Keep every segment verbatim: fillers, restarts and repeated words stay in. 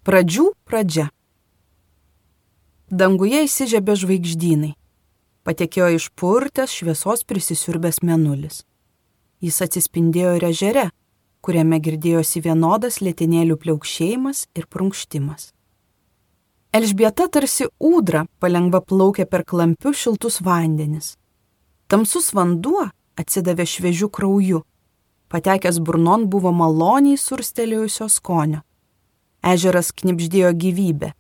Pradžių pradžia. Danguje įsižiebė žvaigždynai. Patekėjo išpurtęs šviesos prisisiurbęs mėnulis. Jis atsispindėjo ir ežere, kuriame girdėjosi vienodas lėtinėlių pliaukšėjimas ir prunkštimas. Elžbieta tarsi ūdra palengva plaukė per klampius šiltus vandenis. Tamsus vanduo atsidavė šviežiu krauju. Patekęs burnon buvo maloniai surstelėjusio skonio. Ežeras knibždėjo gyvybę.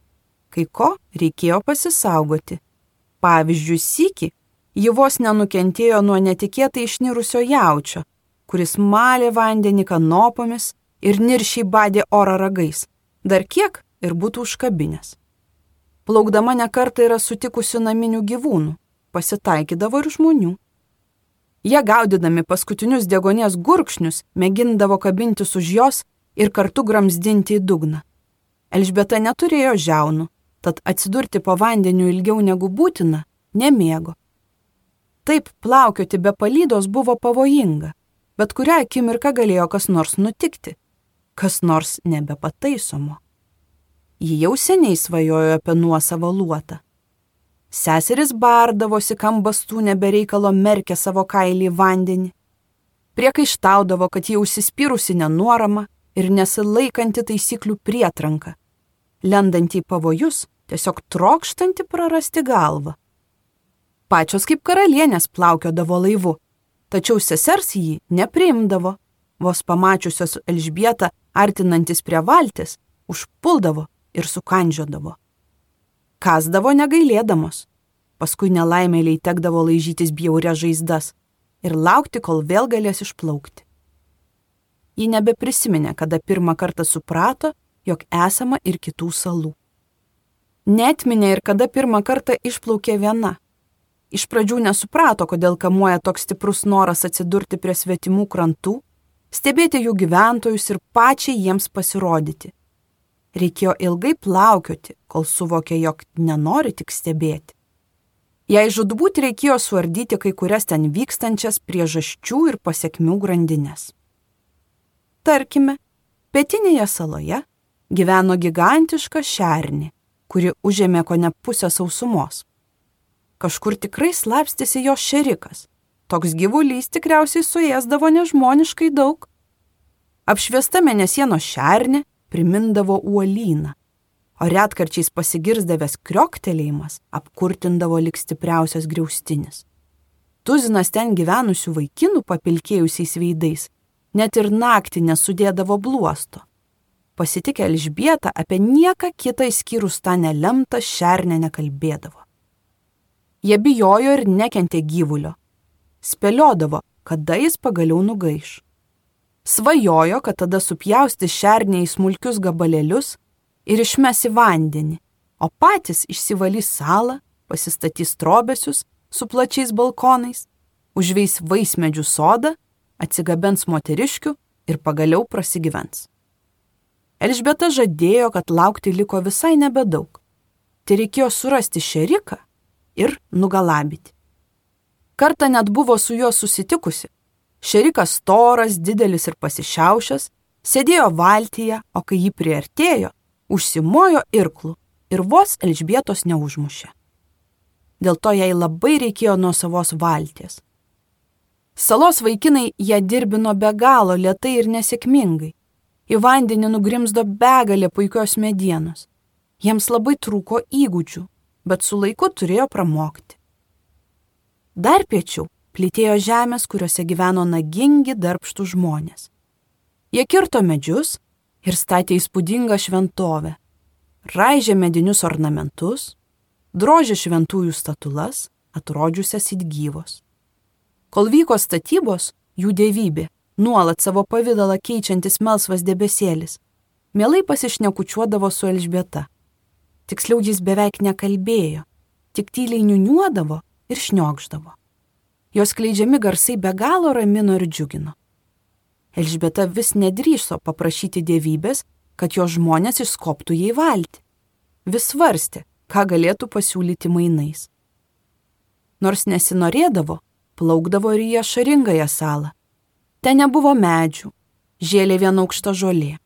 Kai ko reikėjo pasisaugoti. Pavyzdžiui, sykį ji vos nenukentėjo nuo netikėtai išnirusio jaučio, kuris malė vandenį kanopomis ir niršiai badė orą ragais. Dar kiek ir būtų užkabinęs. Plaukdama nekartą yra sutikusių naminių gyvūnų, pasitaikydavo ir žmonių. Jie gaudydami paskutinius degonės gurkšnius mėgindavo kabintis už jos ir kartu gramzdinti į dugną. Elžbieta neturėjo žiaunų, tad atsidurti po vandeniu ilgiau negu būtina nemėgo. Taip plaukioti be palydos buvo pavojinga, bet kurią akimirką galėjo kas nors nutikti, kas nors nebepataisomo. Ji jau seniai svajojo apie nuosavą luotą. Seseris bardavosi, kam bastūnė be reikalo merkė savo kailį į vandenį. Priekaištaudavo, kad ji užsispyrusi nenuorama ir nesilaikanti taisyklių prietranka, lendanti į pavojus, tiesiog trokštanti prarasti galvą. Pačios kaip karalienės plaukiodavo laivu, tačiau sesers jį nepriimdavo, vos pamačiusios Elžbietą artinantis prie valties, užpuldavo ir sukandžiodavo. Kasdavo negailėdamos, paskui nelaimėliai tekdavo laižytis bjaurias žaizdas ir laukti, kol vėl galės išplaukti. Ji nebeprisiminė, kada pirmą kartą suprato, jog esama ir kitų salų. Neatminė ir kada pirmą kartą išplaukė viena. Iš pradžių nesuprato, kodėl kamuoja toks stiprus noras atsidurti prie svetimų krantų, stebėti jų gyventojus ir pačiai jiems pasirodyti. Reikėjo ilgai plaukioti, kol suvokė, jog nenori tik stebėti. Jei žudbūt reikėjo suardyti kai kurias ten vykstančias priežasčių ir pasekmių grandinės. Tarkime, pietinėje saloje gyveno gigantiška šernė, kuri užėmė kone pusę sausumos. Kažkur tikrai slapstėsi jos šerikas. Toks gyvulys tikriausiai suėsdavo nežmoniškai daug. Apšviesta mėnesienos šernė primindavo uolyną, o retkarčiais pasigirzdavęs krioktelėjimas apkurtindavo lyg stipriausias griaustinis. Tuzinas ten gyvenusių vaikinų papilkėjusiais veidais net ir naktį nesudėdavo bluosto. Pasitikę Elžbietą apie nieką kitą išskyrus tą nelemtą šernę nekalbėdavo. Jie bijojo ir nekentė gyvulio. Spėliodavo, kada jis pagaliau nugaiš. Svajojo, kad tada supjausti šernę į smulkius gabalėlius ir išmes į vandenį, o patys išsivalys salą, pasistatys trobesius su plačiais balkonais, užveis vaismedžių sodą, atsigabens moteriškių ir pagaliau prasigyvens. Elžbieta žadėjo, kad laukti liko visai nebedaug. Tai reikėjo surasti šeriką ir nugalabyti. Kartą net buvo su juo susitikusi. Šerikas storas, didelis ir pasišiaušęs, sėdėjo valtyje, o kai jį priartėjo, užsimojo irklų ir vos Elžbietos neužmušė. Dėl to jai labai reikėjo nuo savos valties. Salos vaikinai ją dirbino be galo lėtai ir nesėkmingai. Į vandenį nugrimzdo begalė puikios medienos. Jiems labai trūko įgūdžių, bet su laiku turėjo pramokti. Dar piečiau plytėjo žemės, kuriuose gyveno nagingi darbštų žmonės. Jie kirto medžius ir statė įspūdingą šventovę, raižė medinius ornamentus, drožė šventųjų statulas, atrodžiusias it gyvos. Kol vyko statybos, jų dievybė, nuolat savo pavidalą keičiantis melsvas debesėlis, mielai pasišnekučiuodavo su Elžbieta. Tiksliau jis beveik nekalbėjo, tik tyliai niuniuodavo ir šniokšdavo. Jos skleidžiami garsai be galo ramino ir džiugino. Elžbieta vis nedrįso paprašyti dievybės, kad jos žmonės išskobtų jai valtį. Vis svarstė, ką galėtų pasiūlyti mainais. Nors nesinorėdavo, plaukdavo ir į ašaringąją salą. Ten nebuvo medžių, žėlė viena aukšta žolė.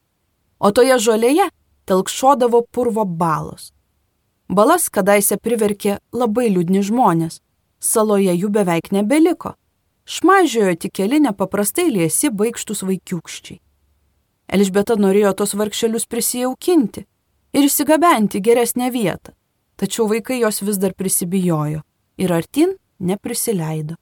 O toje žolėje telkšodavo purvo balos. Balas kadaise priverkė labai liūdni žmonės, saloje jų beveik nebeliko. Šmaižiojo tik keli nepaprastai liesi baikštus vaikiūkščiai. Elžbieta norėjo tos vargšelius prisijaukinti ir išsigabenti geresnę vietą, tačiau vaikai jos vis dar prisibijojo ir artin neprisileido.